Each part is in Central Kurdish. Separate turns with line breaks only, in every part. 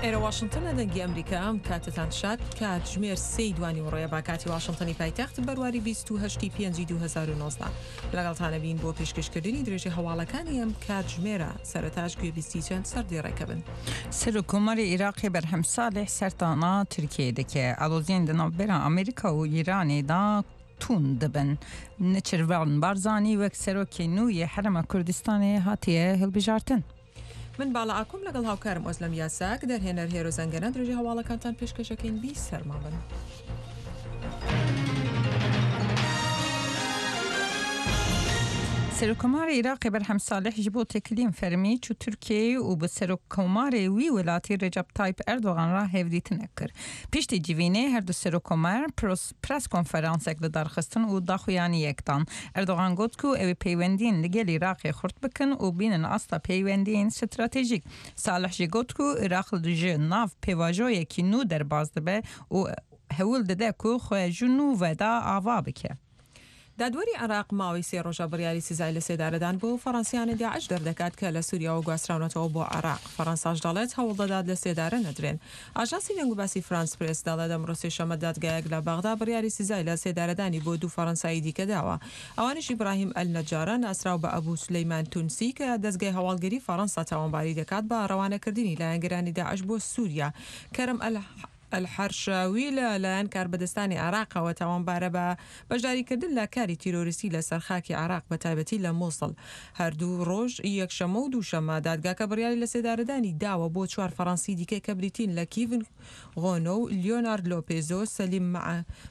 ئێرە واشنتنە دەنگی ئەمریکا ئەم کاتتان شاد کاتژمێر سێی دوانیوەڕۆیە با کاتی واشنتنی پایتەخت بەرواری 28 پێنجی 2019 لەگەڵتانە بین بۆ پێشکەشکردنی درێژەی هەواڵەکانی ئەم کاتژمێرە سەرەتاش گوێبیستی چەند سەردێڕێکە بن.
Serokkomarê Iraqê Berhem Salih serdana Tirkiyeyê dike. Aloziyên di navbera Amerîka û Îranê de tund dibin. Neçirvan Barzanî wek serokê nû yê Herêma Kurdistanê hatiye hilbijartin.
من باڵا ئاکۆم لەگەڵ هاوکارم ئۆزلەم یاساک، دەرهێنەر هێرۆ زەنگەنە درێژەی هەواڵەکانتان پێشکەش ئەکەین بی سەرما بن.
Serokkomarê Iraqê Berhem Salih ji bo têkiliyên fermî çû Tirkiyeyê û bi Serokkomarê wî welatî Recep Tayyip Erdogan re hevdîtinek kir. Piştî civînê her du serokkomar press konferansek li dar xistin û daxuyaniyek dan. Erdogan got ku ew ê peywendiyên li gel Iraqê xurt bikin û bînin asta peywendiyên stratejîk. Salih jî got ku Iraq ji nav pêvajoyekî nû derbas dibe û hewl dide ku xwe ji nû ve da ava bike.
دادوەری عێراق ماوەی سێ ڕۆژە بڕیاری سزای لەسێدارەدان بۆ فەڕەنسییانی داعش دەردەکات کە لە سوریاوە گواستراونەتەوە بۆ عێراق، فەڕەنساش دەڵێت هەوڵدەدات لەسێدارە نەدرێن. ئاژانسی دەنگوباسی فرانس پرێس دەڵێت ئەمڕۆ سێشەممە دادگایەک لە بەغدا بڕیاری سزای لەسێدارەدانی بۆ دوو فەڕەنسایی دیکە داوە، ئەوانیش ئیبراهیم ئەلنەجارە ناسراو بە ئەبو سولەیمان تونسی کە دەزگای هەواڵگری فەڕەنسا تاوانباری دەکات بە ڕەوانەکردنی لایەنگرانی داعش بۆ سوریا، کەرەم ئەل. ئەلحەرشاوی لە لایەن کاربەدەستانی عێراقەوە تاوانبارە بە بەشداریکردن لە کاری تیرۆریستی لە سەر خاکی عێراق بە تایبەتی لە موسڵ. هەردوو ڕۆژ یەکشەممە و دووشەممە دادگاکە بڕیاری لەسێدارەدانی داوە بۆ چوار فەڕەنسی دیکە کە بریتین لە کیڤن غۆنۆ و لیۆنارد لۆپێزۆ، سەلیم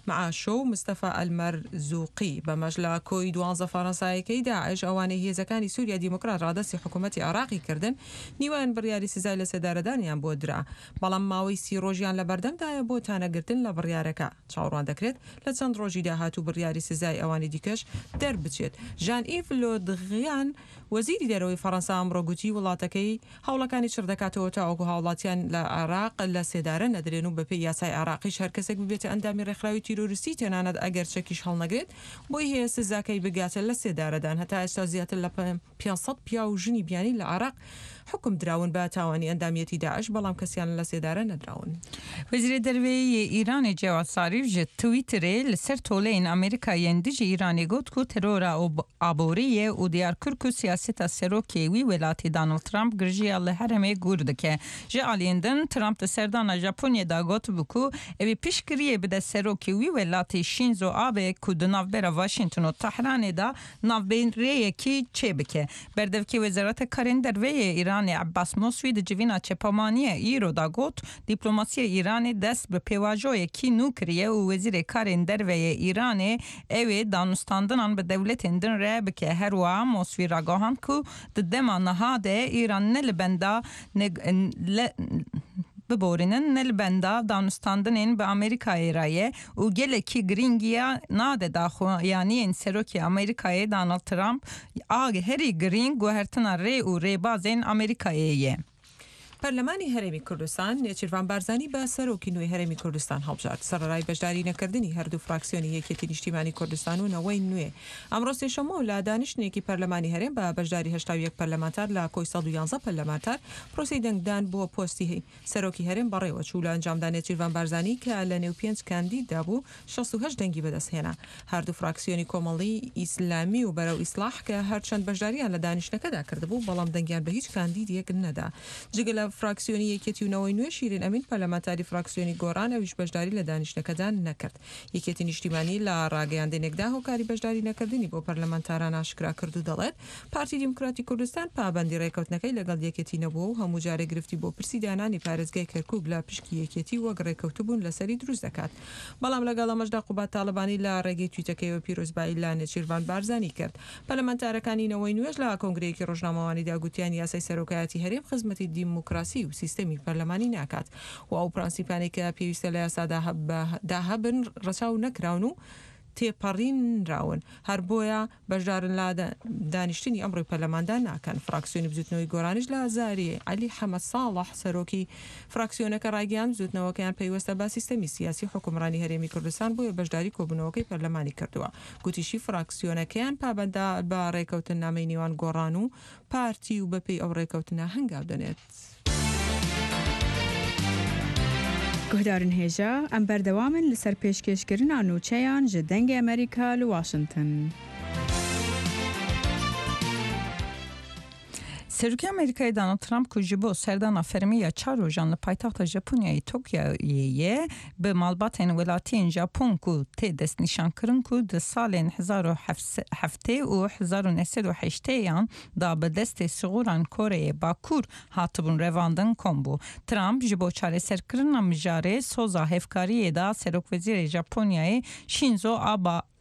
معاشۆ و مستەفا ئەلمەرزوقی. بەمەش لە کۆی دوانزە فەڕەنسایەکەی داعش ئەوانەی هێزەکانی سوریای دیموکرات ڕادەستی حکومەتی عێراقی کردن، نیوەیان بڕیاری سزای لەسێدارەدانیان بۆ درا. بەڵام ماوەی سی ڕۆژیان لەبەردەمدایە بۆ تانەگرتن لە بڕیارەکە، چاوەڕوان دەکرێت لە چەند ڕۆژی داهاتوو بڕیاری سزای ئەوانی دیکەش دەربچێت. ژان ئیڤ لۆدغیان، وەزیری دەرەوەی فەڕەنسا ئەمڕۆ گوتی وڵاتەکەی هەوڵەکانی چڕدەکاتەوە تاوەکو هاوڵاتیان لە عێراق لە سێدارە نەدرێن و بەپێی یاسای عێراقیش هەرکەسێک ببێتە ئەندامی ڕێکخراوی تیرۆریستی تەنانەت ئەگەر چەکیش هەڵنەگرێت بۆی هەیە سزاکەی بگاتە لە سێدارەدان. هەتا ئێستا زیاتر لە 500 پیاو و ژنی بیانی لە عێراق حوکم دراون بە تاوانی ئەندامیەتی داعش، بەڵام کەسیان لە سێدارە نەدراون.
Wezîrê Derveyê yê Îranê Cewad Zarîf ji Twitterê li ser toleyên Amerîka yên dijî Îranê got ku terora aborî ye û diyar kir ku siyaseta serokê wî welatî Donald Trump girjiya li herêmê gûr dike. Ji aliyên din Trump di serdana Japonyê de gotibû ku ew ê piştgiriyê bide serokê wî welatî Shinzo Abe ku di navbera Washington û Tehranê de navbêrêyekî çêbike. Berdevkê Wezareta Karên Derve yê Îranê Ebbas Moswî di civîna çepamaniyê îro de got, Dîplomasiya Îranê dest bi pêvajoyekî nû kiriye û Wezîrê Karên Derve yê Îranê ew ê danûstandinan bi dewletên din re bike. Her wiha Moswî ragihand ku di dema niha de Îran ne li benda biborînin ne li benda danûstandinên bi Amerîkayê re ye û gelekî girîngiya nade daxuyaniyên Serokê Amerîkayê Donald Trump a herî girîng guhertina rê û rêbazên Amerîkayê ye.
پەرلەمانی هەرێمی کوردستان نێچیرڤان بارزانی بە سەرۆکی نوێی هەرێمی کوردستان هەڵبژارد، سەرەڕای بەشداری نەکردنی هەردوو فراکسیۆنی یەکێتی نیشتیمانی کوردستان و نەوەی نوێ. ئەمڕۆ سێشەممە و لە دانیشتنێکی پەرلەمانی هەرێم بە بەشداری 81 پەرلەمانتار لە کۆی 111 پەرلەمانتار پرۆسەی دەنگدان بۆ پۆستی سەرۆکی هەرێم بەڕێوەچوو، لە ئەنجامدا نێچیرڤان بارزانی کە لە نێو پێنج کاندیددا بوو 68 دەنگی بەدەستهێنا. هەردوو فراکسیۆنی کۆمەڵی ئیسلامی و بەرەو ئیسڵاح کە هەرچەند بەشدارییان لە دانیشتنەکەدا کردبوو، بەڵام دەنگیان بە هیچ کاندیدێک نەدا. جگە لە فراکسیۆنی یەکێتی و نەوەی نوێ، شیرین ئەمین پەرلەمانتاری فراکسیۆنی گۆڕان ئەویش بەشداری لە دانیشتنەکەدا نەکرد. یەکێتی نیشتیمانی لە ڕاگەیاندنێکدا هۆکاری بەشداری نەکردنی بۆ پەرلەمانتاران ئاشکرا کرد و دەڵێت، پارتی دیموکراتی کوردستان پابەندی ڕێکەوتنەکەی لەگەڵ یەکێتی نەبووە و هەموو جارێک گرفتی بۆ پرسی دانانی پارێزگای کەرکوک لە پشکی یەکێتی وەک ڕێکەوتبوون لەسەری دروست دەکات. بەڵام لەگەڵ ئەمەشدا قوباد تاڵەبانی لە ڕێگەی تویتەکەیەوە پیرۆزبایی لە نێچیرڤان بارزانی کرد. پەرلەمانتارەکانی نەوەی نوێش لە کۆنگرەیەکی ڕۆژنامەوانیدا گوتیان یاسای سەرۆکایەتی هەرێم خزمەتی دیموکراسی و سیستەمی پەرلەمانی ناکات و ئەو پرەنسیپانەی کە پێویستە لە یاسادا هەبن ڕەچاو نەکراون و تێپەڕینراون هەر بۆیە بەشدارن لە دانیشتنی ئەمڕۆی پەرلەماندا ناکەن. فراکسیۆنی بزوتنەوەی گۆرانیش لە زاری عەلی حەمە ساڵح سەرۆکی فراکسیۆنەکە ڕایگەیاند بزوتنەوەکەیان پەیوەستە بە سیستەمی سیاسی حوکمڕانی هەرێمی کوردستان بۆیە بەشداری کۆبونەوەکەی پەرلەمانی کردووە. گوتیشی فراکسیۆنەکەیان پابەندە بە ڕێکەوتننامەی نێوان گۆڕان و پارتی و بەپێی ئەو ڕێکەوتنە هەنگاو دەنێت.
Guhdarên hêja, em berdewam in li ser pêşkêşkirina nûçeyan ji Dengê Amerîka li Washington.
Serokê Amerîkayê Donald Trump ku ji bo serdana fermî ya çar rojan li paytexta Japonyayê Tokyoyê ye, bi malbatên welatiyên Japon ku tê destnîşankirin ku di salên 1070 û 1980 yan da bi destê sixûran Koreyê Bakur hatibûn revandin kom bû. Trump ji bo çareserkirina mijarê soza hevkariyê da Serokwezîrê Japonyayê Shinzo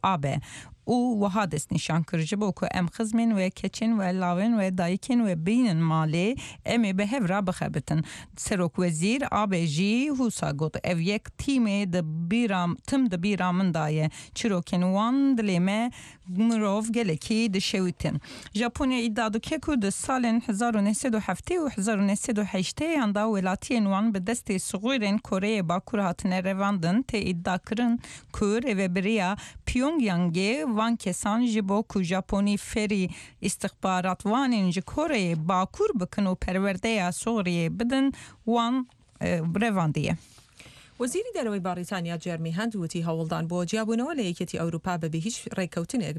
Abe û wiha destnîşan kir, Ji bo ku em xizmên we, keçên we, lawên we, dayikên we bînin malê, em ê bi hev re bixebitin. Serokwezîr Abe jî wisa got, Ev yek tîmê di bîra tim di bîra min de ye. Çîrokên wan dilê me Mirov gelekî dişewîtin. Japonya îdia dike ku di salên 1970 û 1980 yan de welatiyên wan bi destê sixûrên Koreyê Bakur hatine revandin, tê îdiakirin ku rêvebiriya Pyongyangê van kesan ji bo ku Japonî fêrî îstixbaratvanên ji Koreyê Bakur bikin û perwerdeya sixûriyê bidin wan revandiye.
وەزیری دەرەوەی بەڕیتانیا جێرمی هەنت وتی هەوڵدان بۆ جیابوونەوە لە یەکێتی ئەوروپا بەبێ هیچ ڕێککەوتنێک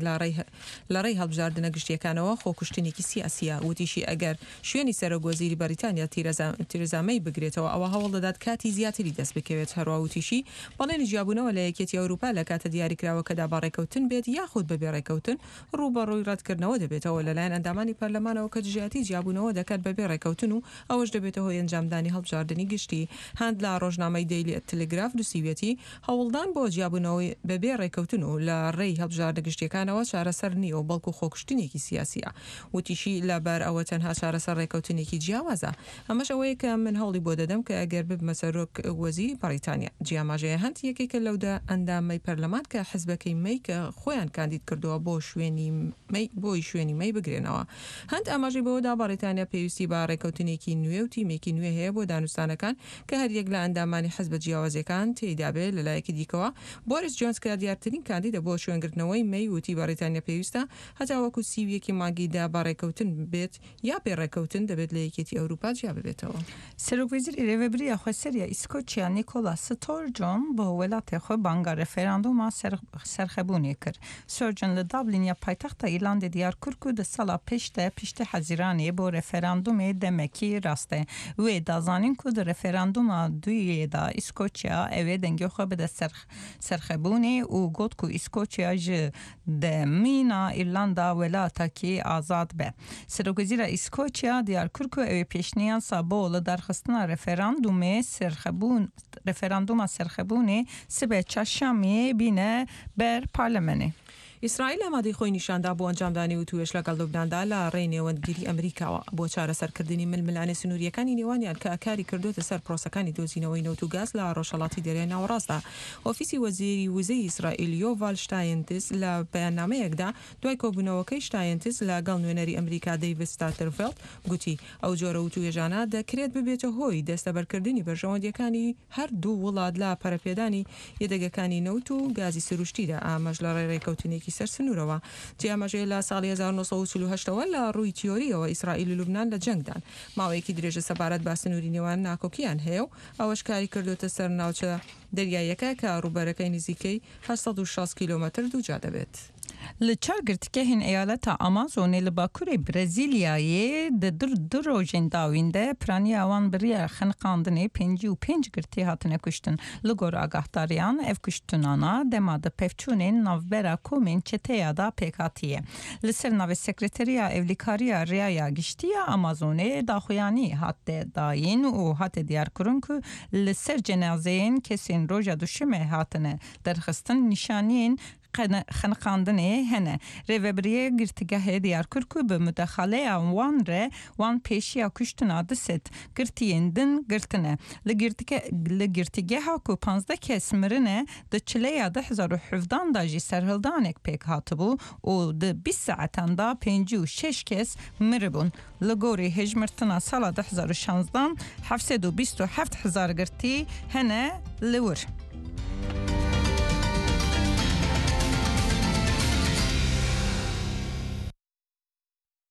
لە ڕێی هەڵبژاردنە گشتییەکانەوە خۆکوشتنێکی سیاسییە. وتیشی ئەگەر شوێنی سەرۆک وەزیری بەڕیتانیا تیرێزا مەی بگرێتەوە ئەوا هەوڵدەدات کاتی زیاتری دەست بکەوێت. هەروا وتیشی بەڵێنی جیابوونەوە لە یەکێتی ئەوروپا لە کاتە دیاریکراوەکەدا بە ڕێککەوتن بێت یاخود بەبێ ڕێککەوتن ڕووبەڕووی ڕەتکردنەوە دەبێتەوە لەلایەن ئەندامانی پەرلەمانەوە کە دژایەتی جیابوونەوە دەکات بەبێ ڕێککەوتن و ئەوەش دەبێتە هۆی ئەنجامدانی هەڵبژاردنی گشتی. هاند لە ڕۆژنامەی دەیلی تلگراف نووسیویەتی، هەوڵدان بۆ جیابوونەوەی بەبێ ڕێککەوتن و لە ڕێی هەڵبژاردنە گشتییەکانەوە چارەسەر نییە و بەڵکو خۆکوشتنێکی سیاسییە. وتیشی، لەبەر ئەوە تەنها چارەسەر ڕێککەوتنێکی جیاوازە. ئەمەش ئەوەیە کە من هەوڵی بۆ دەدەم کە ئەگەر ببمە سەرۆک وەزیری بەڕیتانیا. جی ئاماژەیە هەنت یەکێکە لەو دە ئەندامەی پەرلەمان کە حزبەکەی مەی کە خۆیان کاندید کردووە بۆ شوێنی مەی بۆی شوێنی مەی بگرێنەوە. هەنت ئاماژەی بەوەدا بەڕیتانیا پێویستی بە ڕێککەوتنێکی نوێ و تیمێکی نوێ هەیە بۆ دانوستانەکان کە هەریەک لە ئەندامانی حزبە جیاوازەکان تێیدا بێت لەلایەکی دیکەوە بۆریس جۆنس کە دیارترین کاندیدە بۆ شوێنگرتنەوەی مەی وتی بەڕیتانیا پێویستە هەتاوەکو 31 ی مانگی دە بە ڕێککەوتن بێت یا بێ ڕێککەوتن دەبێت لە یەکێتی ئەوروپا جیا ببێتەوە.
سەرۆکوەزیری رێڤەبرییا خweserîya Îskoçya Nicola Sturgeon bo welatê xwe banga referandûma serxebûnê kir. Sturgeon li Dublin ya paytexta Îrlandê diyar kir ku di sala pêş de piştî Hezîranê bo referandûmê demekî rast e. Wê da zanîn ku di referandûma duyê de Îskoçya ew ê dengê xwe bide serxebûnê û got ku Îskoçya ji De mîna Îrlanda welatekî azad be. Serokwezîra Îskoçya diyar kir ku ew ê pêşniyasa bo lidarxistina referandûmê serxebûn referandûma serxebûnê sibe çarşemiyê bîne ber parlamenê.
ئیسرائیل ئامادەی خۆی نیشاندا بۆ ئەنجامدانی وتووێژ لەگەڵ لوبناندا لە ڕێی نێوەندگیری ئەمریکاوە بۆ چارەسەرکردنی ململانێ سنوورییەکانی نێوانیان کە کاری کردۆتە سەر پرۆسەکانی دۆزینەوەی نەوت و گاز لە ڕۆژهەڵاتی دەریای ناوەڕاستدا. ئۆفیسی وەزیری وزەی ئیسرائیل یۆڤال شتاینتز لە بەیاننامەیەکدا دوای کۆبوونەوەکەی شتاینتز لە گەڵ نوێنەری ئەمریکا دەیڤد ستاترفێڵد گوتی ئەو جۆرە وتووێژانە دەکرێت ببێتە هۆی دەستەبەرکردنی بەرژەوەندییەکانی هەر دوو وڵات لە پەرەپێدانی یەدەگەکانی نەوت و گازی سروشتیدا ئامەش لە ڕێی ڕێکەوتنێکی سەر سنوورەوە. جێی ئاماژەیە لە ساڵی 1948 ەوە لە ڕووی تیۆرییەوە ئیسرائیل و لوبنان لە جەنگدان. ماوەیەکی درێژە سەبارەت بە سنووری نێوان ناکۆکییان هەیە و ئەوەش کاری کردۆتە سەر ناوچە دەریاییەکە کە ڕووبەرەکەی نزیکەی 860 کیلۆمەتر دووجا دەبێت.
Li çar girtîgehên eyaleta Amazonê li bakurê Brezîlyayê di du rojên dawîn de piraniya wan bi riya xeniqandinê 55 girtî hatine kuştin. Li gor agahdariyan ev kuştinana dema di pevçûnên navbera komên çeteya da pêk hatiye. Li ser navê Sekreteriya Ewlîkariya Riyaya Giştî ya Amazonê daxuyanî hate dayîn û hate diyarkirin ku li ser cenazeyên kesên roja duşemê hatine derxistin nîşaniyên xeniqandinê hene. Rêvebiriyê girtîgehê diyar kir ku bi mudexaleya wan re wan pêşiya kuştina 200 girtiyên din girtine. Li li girtîgeha ku 15 kes mirine di çileya 2017 de jî serhildanek pêk hatibû û di 20 saetan de 56 kes miribûn. Li gorî hejmirtina sala 2016 727 hezar girtî hene li wir.